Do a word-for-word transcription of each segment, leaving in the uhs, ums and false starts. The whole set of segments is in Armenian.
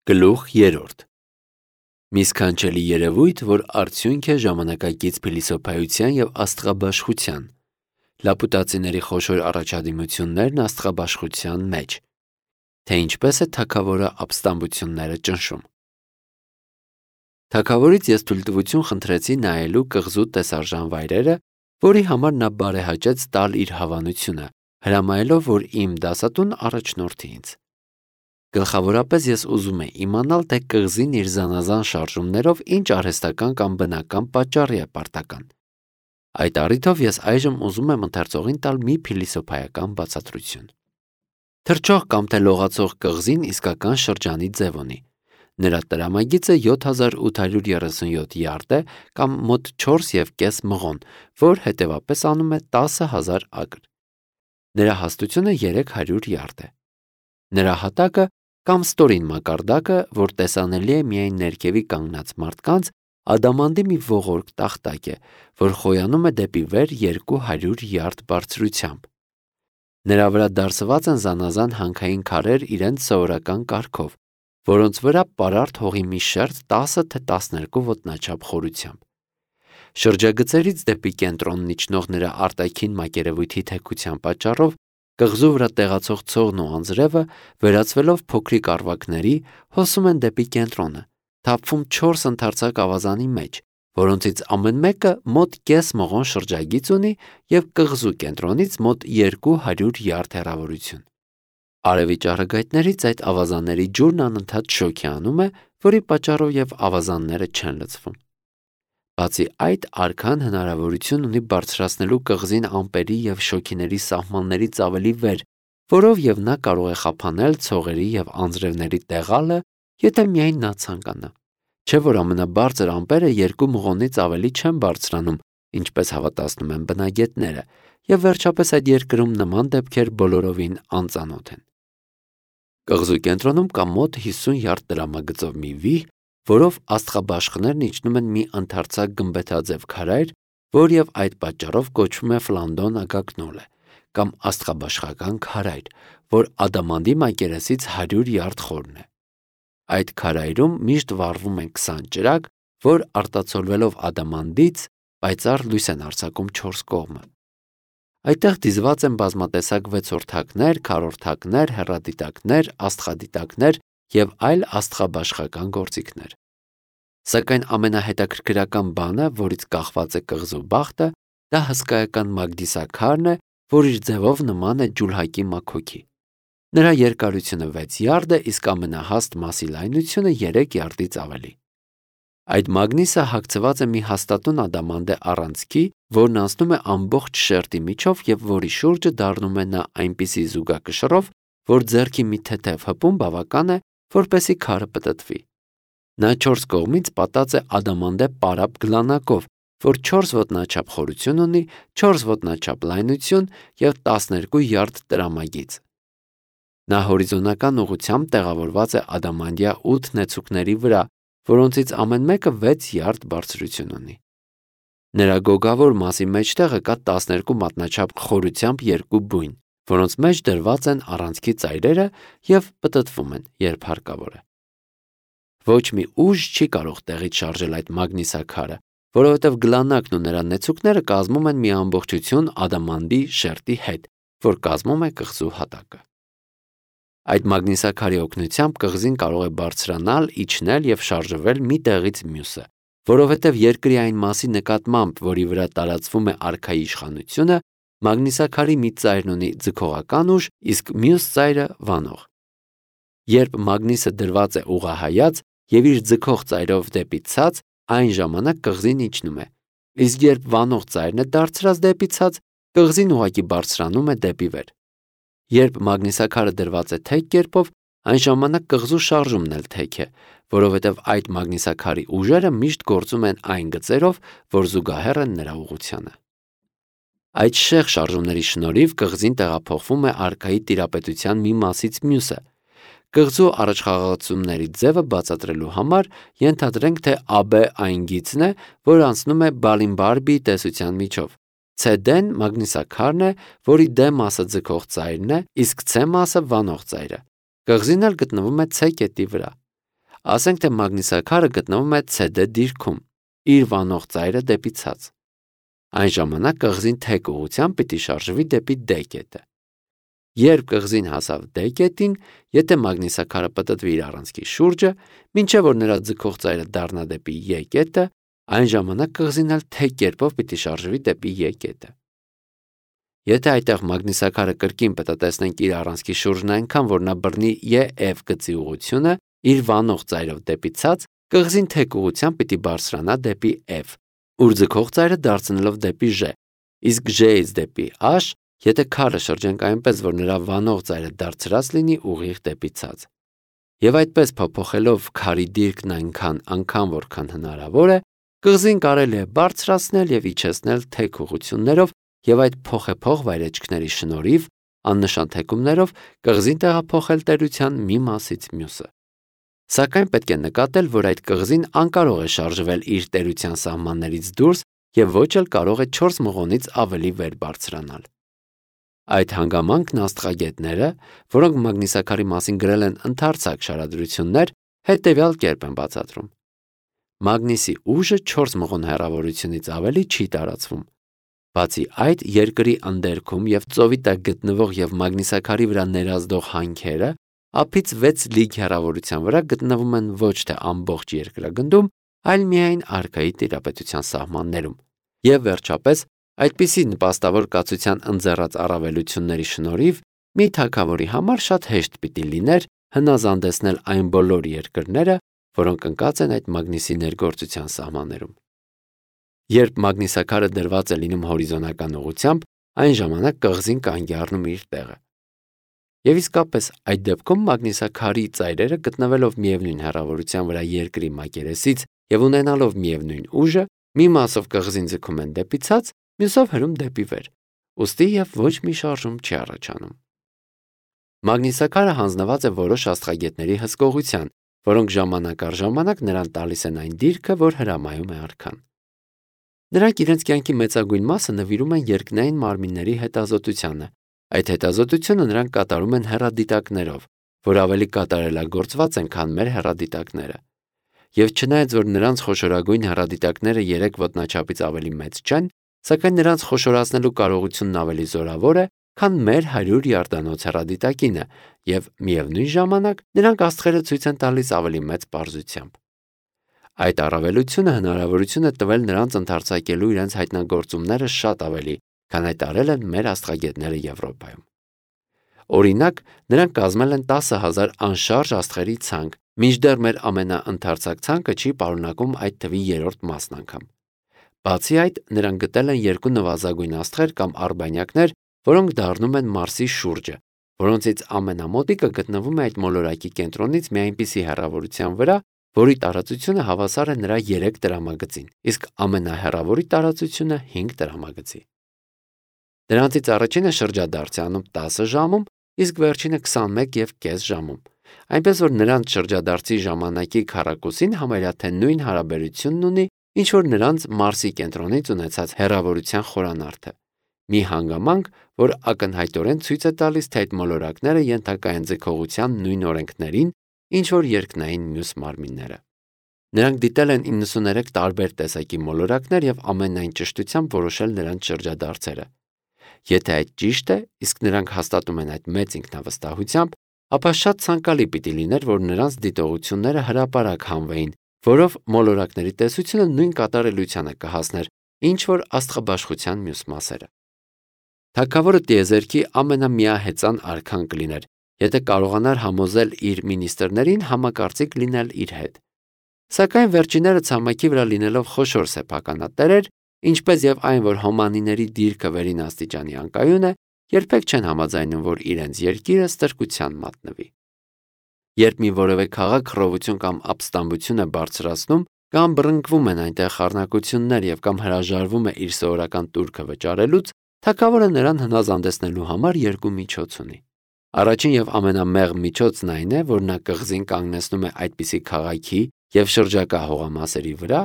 Գլուխ երրորդ Մի սքանչելի երևույթ, որ արդյունք է ժամանակակից փիլիսոփայության և աստղաբաշխության, լապուտացիների խոշոր առաջադիմություններն աստղաբաշխության մեջ, թե ինչպես է թագավորը ապստամբությունները ճնշում։ Թագավորից ես թույլտվություն խնդրեցի նայելու կղզու տեսարժան վայրերը, որի համար նա բարեհաճեց տալ իր հավանությունը, հրամայելով, որ իմ դասատուն առաջնորդի ինձ։ Գլխավորապես ես ուզում էի իմանալ, թե կղզին իր զանազան շարժումներով ինչ արհեստական կամ բնական պատճառի է պարտական։ Այդ առիթով ես այժմ ուզում եմ ընթերցողին տալ մի փիլիսոփայական բացատրություն։ Թռչող կամ թե լողացող կղզին իսկական շրջանի ձև ունի։ Նրա տրամագիծը յոթ հազար ութ հարյուր երեսունյոթ յարդ է կամ մոտ չորս և կես մղոն, որ հետևապես անում է տասը հազար ակր։ Նրա հաստությունը երեք հարյուր յարդ է։ Նրա հատակը կամ ստորին մակարդակը, որ տեսանելի է միայն ներքևի կանգնած մարդկանց, ադամանդի մի ողորկ տախտակ է, որ խոյանում է դեպի վեր երկու հարյուր յարդ բարձրությամբ։ Նրա վրա դարսված են զանազան հանքային քարեր իրենց սովորական կարգով, որոնց վրա պարարտ հողի մի շերտ տասը թե տասներկու ոտնաչափ խորությամբ։ Շրջագծերից դեպի կենտրոնն իջնող նրա արտաքին մակերևույթի թեքության պատճառով կղզու վրա տեղացող ցողն ու անձրևը, վերածվելով փոքրիկ առվակների, հոսում են դեպի կենտրոնը, թափվում չորս ընդարձակ ավազանի մեջ, որոնցից ամեն մեկը մոտ կես մղոն շրջագիծ ունի և կղզու կենտրոնից մոտ երկու հարյուր յարդ հեռավորություն։ Արևի ճառագայթներից այդ ավազանների ջուրն անընդհատ շոգ է անում է, որի պատճառով և ավազանները չեն լցվում։ Բացի այդ, արքան հնարավորություն ունի բարձրացնելու կղզին ամպերի և շոգիների սահմաններից ավելի վեր, որով և նա կարող է խափանել ցողերի և անձրևների տեղալը, եթե միայն նա ցանկանա։ Չէ՞ որ ամենաբարձր ամպերը երկու մղոնից ավելի չեն բարձրանում, ինչպես հավատացնում են բնագետները, և վերջապես այդ երկրում նման դեպքեր բոլորովին անծանոթ են։ Կղզու կենտրոնում կա մոտ հիսուն յարդ տրամագծով մի վիհ, որով աստղաբաշխներն իջնում են մի ընդարձակ գմբեթաձև քարայր, որ և այդ պատճառով կոչվում է Ֆլանդոն ագագնոլը, կամ աստղաբաշխական քարայր, որ ադամանդի մակերեսից հարյուր յարդ խորն է։ Այդ քարայրում միշտ վառվում են քսան ճրագ, որ արտացոլվելով ադամանդից պայծառ լույս են արձակում չորս կողմը։ Այդտեղ դիզված են բազմատեսակ վեցորդակներ, քառորդակներ, հեռադիտակներ, աստղադիտակներ և այլ աստղաբաշխական գործիքներ։ Սակայն ամենահետաքրքրական բանը, որից կախված է կղզու բախտը, դա հսկայական մագնիսաքարն է, որ իր ձևով նման է ջուլհակի մաքոքի։ Նրա երկարությունը վեց յարդ է, իսկ ամենահաստ մասի լայնությունը երեք յարդից ավելի։ Այդ մագնիսը հագցված է մի հաստատուն ադամանդե առանցքի, որն անցնում է ամբողջ շերտի միջով և որի շուրջը դառնում է նա այնպիսի զուգակշռով, որ ձեռքի մի թեթև հպում բավական է, որպեսզի քարը պտտվի։ Նա չորս կողմից պատած է ադամանդե պարապ գլանակով, որ չորս ոտնաչափ խորություն ունի, չորս ոտնաչափ լայնություն և տասներկու յարդ տրամագիծ։ Նա հորիզոնական ուղղությամբ տեղավորված է ադամանդյա ութ նեցուկների վրա, որոնցից ամեն մեկը վեց յարդ բարձրություն ունի։ Նրա գոգավոր մասի մեջտեղը կա տասներկու մատնաչափ խորությամբ երկու բույն, որոնց մեջ դրված են առանցքի ծայրերը և պտտվում են, երբ հարկավոր է։ Ոչ մի ուժ չի կարող տեղից շարժել այդ մագնիսաքարը, որովհետև գլանակն ու նրա նեցուկները կազմում են մի ամբողջություն ադամանդի շերտի հետ, որ կազմում է կղզու հատակը։ Այդ մագնիսաքարի օգնությամբ կղզին կարող է բարձրանալ, իջնել և շարժվել մի տեղից մյուսը, որովհետև երկրի այն մասի նկատմամբ, որի վրա տարածվում է արքայի իշխանությունը, մագնիսաքարի մի ծայրն ունի ձգողական ուժ, իսկ մյուս ծայրը՝ վանող։ Երբ մագնիսը դրված է ուղղահայաց և իր ձգող ծայրով դեպի ցած, այն ժամանակ կղզին իջնում է, իսկ երբ վանող ծայրն է դարձրած դեպի ցած, կղզին ուղղակի բարձրանում է դեպի վեր։ Երբ մագնիսաքարը դրված է թեք կերպով, այն ժամանակ կղզու շարժումն էլ թեք է, որովհետև այդ մագնիսաքարի ուժերը միշտ գործում են այն գծերով, որ զուգահեռ են նրա ուղղությանը։ Այդ շեղ շարժումների շնորհիվ կղզին տեղափոխվում է արքայի տիրապետության մի մասից մյուսը։ Կղզու առաջխաղացումների ձևը բացատրելու համար ենթադրենք, թե ա բե այն գիծն է, որ անցնում է Բալինբարբի տեսության միջով։ Ցե դեն մագնիսաքարն է, որի D մասը ձգող ծայրն է, իսկ C մասը վանող ծայրը։ Կղզին էլ գտնվում է C կետի վրա։ Ասենք թե մագնիսաքարը գտնվում է C D դիրքում, իր վանող ծայրը դեպի ցած։ Այն ժամանակ կղզին թեք ուղղությամբ պիտի շարժվի դեպի D կետը։ Երբ կղզին հասավ D կետին, եթե մագնիսաքարը պտտվի իր առանցքի շուրջը, մինչև որ նրա ձգող ծայրը դառնա դեպի E կետը, այն ժամանակ կղզին էլ թեք կերպով պիտի շարժվի դեպի E կետը։ Եթե այդտեղ մագնիսաքարը կրկին պտտեցնենք իր առանցքի շուրջն այնքան, որ նա բռնի E F գծի ուղղությունը, իր վանող ծայրով դեպի ցած, կղզին թեք ուղղությամբ պիտի բարձրանա դեպի F, ուր ձգող ծայրը դարձնելով դեպի J, իսկ J-ից դեպի H, եթե քարը շրջենք այնպես, որ նրա վանող ծայրը դարձրած լինի ուղիղ դեպի ցած։ Եվ այդպես փոփոխելով քարի դիրքն այնքան անգամ, որքան հնարավոր է, կղզին կարելի է բարձրացնել եւ իջեցնել թեք ուղղություններով եւ այդ փոխեփոխ վայրեջքների շնորհիվ աննշան թեքումներով կղզին տեղափոխել տերության մի մասից մյուսը։ Սակայն պետք է նկատել, որ այդ կղզին անկարող է շարժվել իր տերության սահմաններից դուրս եւ ոչ էլ կարող է չորս մղոնից ավելի վեր բարձրանալ։ Այդ հանգամանքն աստղագետները, որոնք մագնիսաքարի մասին գրել են ընդարձակ շարադրություններ, հետևյալ կերպ են բացատրում։ Մագնիսի ուժը չորս մղոն հեռավորությունից ավելի չի տարածվում։ Բացի այդ, երկրի անդերքում եւ ծովի տակ գտնվող եւ մագնիսաքարի վրա ներազդող հանքերը ափից վեց լիգ հեռավորության վրա գտնվում են ոչ թե ամբողջ երկրագնդում, այլ միայն արքայի տիրապետության սահմաններում։ Եվ վերջապես, այդպիսի նպաստավոր կացության ընձեռած առավելությունների շնորհիվ մի թագավորի համար շատ հեշտ պիտի լիներ հնազանդեցնել այն բոլոր երկրները, որոնք ընկած են այդ մագնիսի ներգործության սահմաններում։ Երբ մագնիսաքարը դրված է լինում հորիզոնական ուղղությամբ, այն ժամանակ կղզին կանգ է առնում իր տեղը։ Եվ իսկապես այդ դեպքում մագնիսաքարի ծայրերը գտնվելով միևնույն հեռավորության վրա երկրի մակերեսից եւ ունենալով միևնույն ուժը, մի մասով կղզին ձգում են դեպի ցած, մյուսով հրում դեպի վեր, ուստի եւ ոչ մի շարժում չի առաջանում։ Մագնիսաքարը հանձնված է որոշ աստղագետների հսկողության, որոնք ժամանակ առ ժամանակ նրան տալիս են այն դիրքը, որ հրամայում է արքան։ Նրանք իրենց կյանքի մեծագույն մասը նվիրում են երկնային մարմինների հետազոտությանը։ Այդ հետազոտությունը նրանք կատարում են հեռադիտակներով, որ ավելի կատարելագործված են, քան մեր հեռադիտակները։ Եվ չնայած որ նրանց խոշորագույն հեռադիտակները երեք ոտնաչափից ավելի մեծ չեն, սակայն նրանց խոշորացնելու կարողությունն ավելի զորավոր է, քան մեր հարյուր յարդանոց հեռադիտակինը, եւ միևնույն ժամանակ նրանք աստղերը ցույց են տալիս ավելի մեծ պարզությամբ։ Այդ առավելությունը հնարավորություն է տվել նրանց ընդարձակելու իրենց հայտնագործումները շատ ավելի, քան այդ արել են մեր աստղագետները Եվրոպայում։ Օրինակ, նրանք կազմել են տասը հազար անշարժ աստղերի ցանկ, մինչդեռ մեր ամենաընդարձակ ցանկը չի պարունակում այդ թվի երրորդ մասն անգամ։ Բացի այդ, նրանք գտել են երկու նվազագույն աստղեր կամ արբանյակներ, որոնք դառնում են Մարսի շուրջը, որոնցից ամենամոտիկը գտնվում է այդ մոլորակի կենտրոնից մի այնպիսի հեռավորության վրա, որի տարածությունը հավասար է նրա երեք տրամագծին, իսկ ամենահեռավորի տարածությունը հինգ տրամագծի։ Դրանցից առաջինը շրջադարձ է անում տասը ժամում, իսկ վերջինը քսանմեկ եւ կես ժամում, այնպես որ նրանց շրջադարձի ժամանակի քառակուսին համարյա թե նույն հարաբերությունն ունի, ինչ որ նրանց Մարսի կենտրոնից ունեցած հեռավորության խորանարդը։ Մի հանգամանք, որ ակնհայտորեն ցույց է տալիս, թե այդ մոլորակները ենթակա են ձգողության նույն օրենքներին, ինչ որ երկնային մյուս մարմինները։ Նրանք դիտել են իննսուներեք տարբեր տեսակի մոլորակներ եւ ամենայն ճշտությամբ որոշել նրանց շրջադարձերը։ Եթե այդ ճիշտ է, իսկ նրանք հաստատում են այդ մեծ ինքնավստահությամբ, ապա շատ ցանկալի պիտի լիներ, որ նրանց դիտողությունները հրապարակ հանվեին, որով մոլորակների տեսությունը նույն կատարելությանը կհասներ, ինչ որ աստղաբաշխության մյուս մասերը։ Թագավորը տիեզերքի ամենամիահեծան արքան կլիներ, եթե կարողանար համոզել իր մինիստրներին համակարծիք լինել իր հետ։ Սակայն վերջինները ցամաքի վրա լինելով խոշոր սեփականատերեր, ինչպես եւ այն, որ հոմանիների դիրքը վերին աստիճանի անկայուն է, երբեք չեն համաձայնում, որ իրենց երկիրը ստրկության մատնվի։ Երբ մի որևէ քաղաք խռովություն կամ ապստամբություն է բարձրացնում, կամ բռնկվում են այնտեղ խառնակություններ եւ կամ հրաժարվում է իր սովորական տուրքը վճարելուց, թագավորը նրան հնազանդեցնելու համար երկու միջոց ունի։ Առաջին եւ ամենամեղմ միջոցն այն է, որ նա կղզին կանգնեցնում է այդպիսի քաղաքի եւ շրջակա հողամասերի վրա,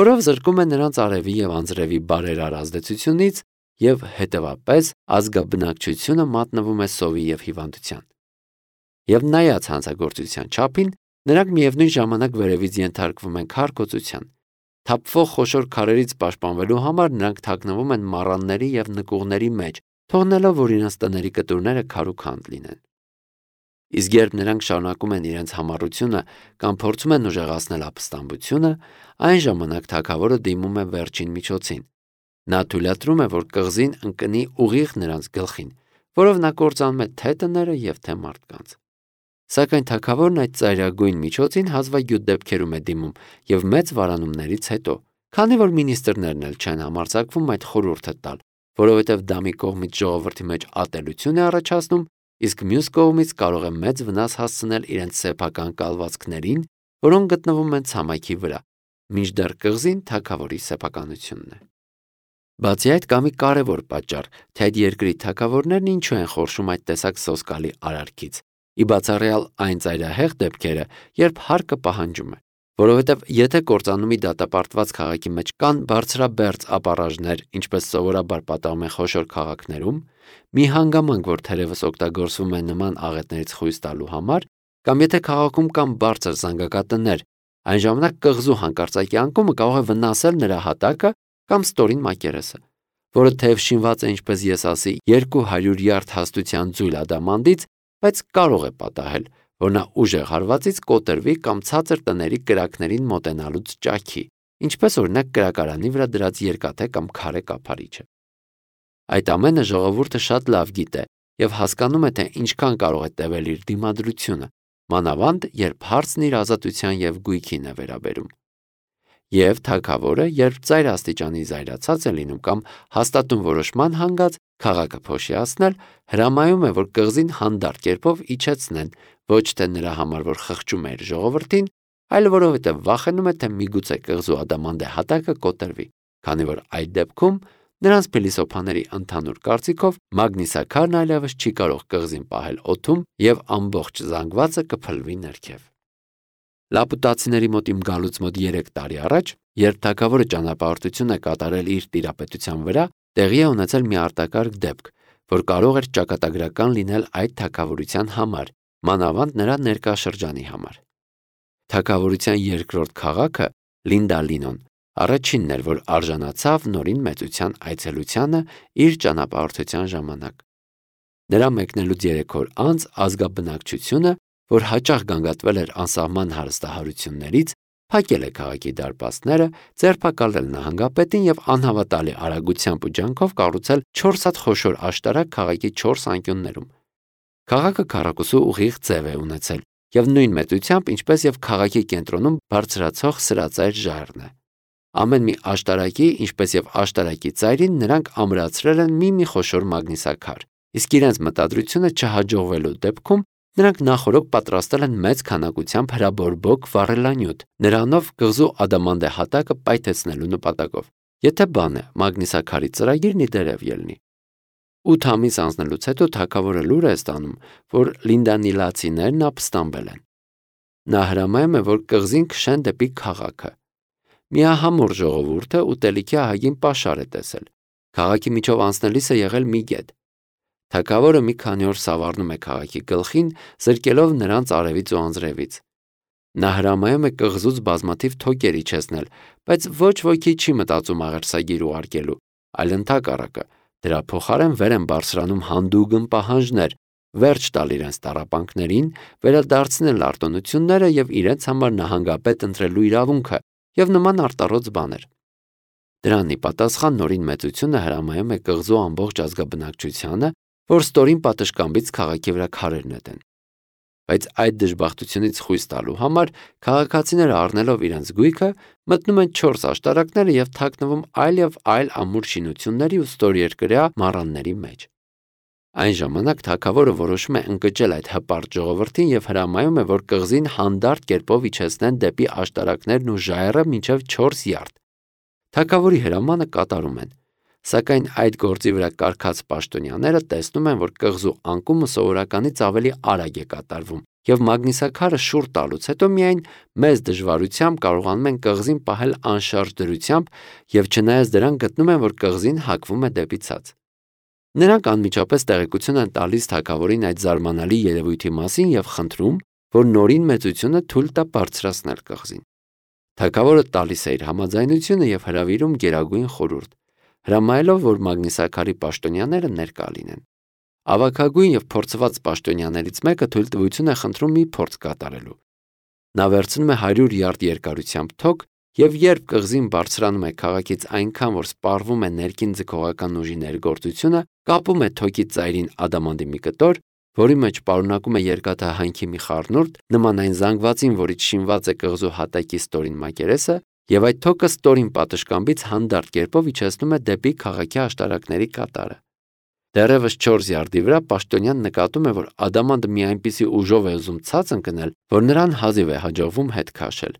որով զրկում է նրանց արևի եւ անձրևի բարերար ազդեցությունից եւ հետեւապես ազգաբնակչությունը մատնվում է սովի եւ հիվանդության։ Եվ նայած հանցագործության չափին, Նրանք միևնույն ժամանակ վերևից ենթարկվում են քարկոծության։ Թափվող խոշոր քարերից պաշտպանվելու համար նրանք թաքնվում են մառանների և նկուղների մեջ, թողնելով, որ իրենց տների կտուրները քարուքանդ լինեն։ Իսկ երբ նրանք շարունակում են իրենց համառությունը կամ փորձում են ուժեղացնել ապստամբությունը, այն ժամանակ թագավորը դիմում է վերջին միջոցին։ Նա թույլատրում է, որ կղզին ընկնի ուղիղ նրանց գլխին, որով նա կործանում է թե տները և թե մարդկանց։ Սակայն թագավորն այդ ծայրագույն միջոցին հազվագյուտ դեպքերում է դիմում և մեծ վարանումներից հետո, քանի որ մինիստրներն էլ չեն համարձակվում այդ խորհուրդը տալ, որովհետև դա մի կողմից ժողովրդի մեջ ատելություն է առաջացնում, իսկ մյուս կողմից կարող է մեծ վնաս հասցնել իրենց սեփական կալվածքներին, որոնք գտնվում են ցամաքի վրա, մինչդեռ կղզին թագավորի սեփականությունն է։ Բացի այդ, կա մի կարևոր պատճառ, թե այդ երկրի թագավորներն ինչու են խորշում այդ տեսակ սոսկալի արարքից, ի բացառյալ այն ծայրահեղ դեպքերը, երբ հարկը պահանջում է, որովհետև եթե կործանումի դատապարտված քաղաքի մեջ կան բարձրաբերձ ապառաժներ, ինչպես սովորաբար պատահում է խոշոր քաղաքներում, մի հանգամանք, որ թերևս օգտագործվում է նման աղետներից խույս տալու համար, կամ եթե քաղաքում կան բարձր զանգակատներ, այն ժամանակ կղզու հանկարծակի անկումը կարող է վնասել նրա հատակը կամ ստորին մակերեսը, որը թեև շինված է, ինչպես ես ասի, երկու հարյուր յարդ հաստության ձույլ ադամանդից, բայց կարող է պատահել, որ նա ուժեղ հարվածից կոտրվի կամ ցածր տների կրակներին մոտենալուց ճաքի, ինչպես օրինակ կրակարանի վրա դրած երկաթե կամ քարե կափարիչը։ Այդ ամենը ժողովուրդը շատ լավ գիտե և հասկանում է, թե ինչքան կարող է տևել իր դիմադրությունը, մանավանդ երբ հարցն իր ազատության և գույքին է վերաբերում։ Եվ թագավորը, երբ ծայր աստիճանի զայրացած է լինում կամ հաստատուն որոշման հանգած քաղաքը փոշիացնել, հրամայում է, որ կղզին հանդարտ կերպով իջեցնեն, ոչ թե նրա համար, որ խղճում է իր ժողովրդին, այլ որովհետև վախենում է, թե միգուցե կղզու ադամանդե հատակը կոտրվի, քանի որ այդ դեպքում նրանց փիլիսոփաների ընդհանուր կարծիքով Մագնիսաքարն այլևս չի կարող կղզին պահել օդում և ամբողջ զանգվածը կփլվի ներքև։ Լապուտացիների մոտ իմ գալուց մոտ երեք տարի առաջ, երբ թագավորը ճանապարհորդություն է կատարել իր տիրապետության վրա, տեղի է ունեցել մի արտակարգ դեպք, որ կարող էր ճակատագրական լինել այդ թագավորության համար, մանավանդ նրա ներկա շրջանի համար։ Թագավորության երկրորդ քաղաքը Լինդալինոն առաջինն էր, որ արժանացավ նորին մեծության այցելությանը իր ճանապարհորդության ժամանակ։ Նրա մեկնելուց երեք օր անց ազգաբնակչությունը, որ հաճախ գանգատվել էր անսահման հարստահարություններից, փակել է քաղաքի դարպասները, ձերբակալել նահանգապետին և անհավատալի արագությամբ ու ջանքով կառուցել չորս հատ խոշոր աշտարակ քաղաքի չորս անկյուններում։ Քաղաքը քառակուսու ուղիղ ձև է ունեցել և նույն մեծությամբ, ինչպես և քաղաքի կենտրոնում բարձրացող սրածայր ժայռն է։ Ամեն մի աշտարակի, ինչպես և աշտարակի ծայրին նրանք ամրացրել են մի-մի խոշոր մագնիսաքար, իսկ իրենց մտադրությունը չհաջողվելու դեպքում նրանք նախօրոք պատրաստել են մեծ քանակությամբ հրաբորբոք վառելանյութ, նրանով կղզու ադամանդե հատակը պայթեցնելու նպատակով, եթե բան է, մագնիսաքարի ծրագիրն ի դերև ելնի։ Ութ ամիս անցնելուց հետո թագավորը լուր է ստանում, որ լինդանիլացիներն ապստամբել են։ Նա հրամայում է, որ կղզին քշեն դեպի քաղաքը։ Միահամուռ ժողովուրդը ուտելիքի ահագին պաշար է տեսել։ Քաղաքի միջով անցնելիս է եղել մի գետ։ Թագավորը մի քանի օր սավառնում է քաղաքի գլխին, զրկելով նրանց արևից ու անձրևից։ Նա հրամայում է կղզուց բազմաթիվ թոկեր իջեցնել, բայց ոչ ոքի չի մտածում աղերսագիր ուղարկելու, այլ ընդհակառակը, դրա փոխարեն վեր են բարձրանում հանդուգն պահանջներ, վերջ տալ իրենց տառապանքներին, վերադարձնել արտոնությունները և իրենց համար նահանգապետ ընտրելու իրավունքը և նման արտառոց բաներ։ Դրան ի պատասխան նորին մեծությունը հրամայում է կղզու ամբողջ ազգաբնակչությանը, որ ստորին պատշգամբից քաղաքի վրա քարեր նետեն։ Բայց այդ դժբախտությունից խույս տալու համար քաղաքացիները առնելով իրենց գույքը մտնում են չորս աշտարակները և թաքնվում այլ և այլ ամուր շինությունների ու ստորերկրյա մառանների մեջ։ Այն ժամանակ թագավորը որոշում է ընկճել այդ հպարտ ժողովրդին և հրամայում է, որ կղզին հանդարտ կերպով իջեցնեն դեպի աշտարակներն ու ժայռը մինչև չորս յարդ։ Թագավորի հրամանը կատարում են, սակայն այդ գործի վրա կարգած պաշտոնյաները տեսնում են, որ կղզու անկումը սովորականից ավելի արագ է կատարվում, և մագնիսաքարը շուռ տալուց հետո միայն մեծ դժվարությամբ կարողանում են կղզին պահել անշարժ դրությամբ և չնայած դրան գտնում են, որ կղզին հակվում է դեպի ցած։ Նրանք անմիջապես տեղեկություն են տալիս թագավորին այդ զարմանալի երևույթի մասին և խնդրում, որ նորին մեծությունը թույլ տա բարձրացնել կղզին։ Թագավորը տալիս է իր համաձայնությունը եւ հրավիրում գերագույն խորհուրդ, հրամայելով, որ Մագնիսակարի պաշտոնյաները ներկա լինեն։ Ավագագույն եւ փորձված պաշտոնյաներից մեկը թույլտվություն է խնդրում մի փորձ կատարելու։ Նա վերցնում է հարյուր յարդ երկարությամբ թոք եւ երբ կղզին բարձրանում է քաղաքից այնքան, որ սպառվում է ներքին ձգողական ուժի ներգործությունը, կապում է թոքի ծայրին ադամանդի մի կտոր, որի մեջ պարունակում է երկաթը հանքի մի խառնուրդ, նման այն զանգվածին, որից շինված է կղզու հատակի ստորին մակերեսը, եւ այդ թոքը ստորին պատշգամբից հանդարտ կերպով իջեցնում է դեպի քաղաքի աշտարակների կատարը։ Դեռևս չորս յարդի վրա պաշտոնյան նկատում է, որ ադամանդը մի այնպիսի ուժով է ուզում ցած ընկնել, որ նրան հազիվ է հաջողվում հետ քաշել։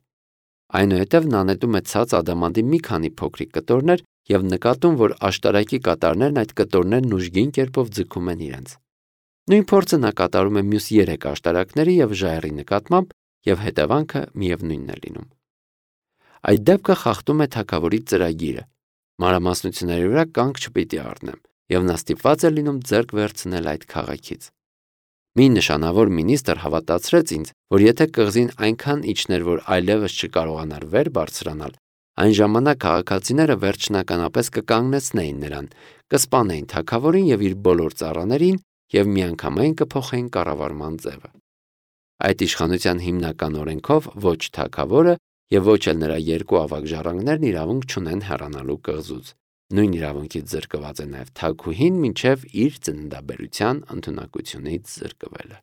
Այնուհետև նա նետում է ցած ադամանդի մի քանի փոքրիկ կտորներ եւ նկատում, որ աշտարակի կատարներն այդ կտորներն ուժգին կերպով ձգում են իրենց։ Նույն փորձը նա կատարում է մյուս երեք աշտարակների եւ ժայռի նկատմամբ եւ հետևանքը միևնույնն է լինում։ Այդ դեպքը խախտում է թագավորի ծրագիրը։ Մանրամասնությունների վրա կանգ չպիտի առնեմ, եւ նա ստիպված է լինում ձեռք վերցնել այդ քաղաքից։ Մի նշանավոր մինիստր հավատացրեց ինձ, որ եթե կղզին այնքան իջներ, որ այլևս չկարողանար վեր բարձրանալ, այն ժամանակ քաղաքացիները վերջնականապես կկանգնեցնեին նրան, կսպանեին թագավորին եւ իր բոլոր ծառաներին եւ միանգամայն կփոխեին կառավարման ձևը։ Այդ իշխանության հիմնական օրենքով ոչ թագավորը եւ ոչ էլ նրա երկու ավագ ժառանգներն իրավունք չունեն հեռանալու կղզուց։ Նույն իրավունքից զրկված է նաեւ թագուհին մինչեւ իր ծննդաբերության ընդունակությունից զրկվելը։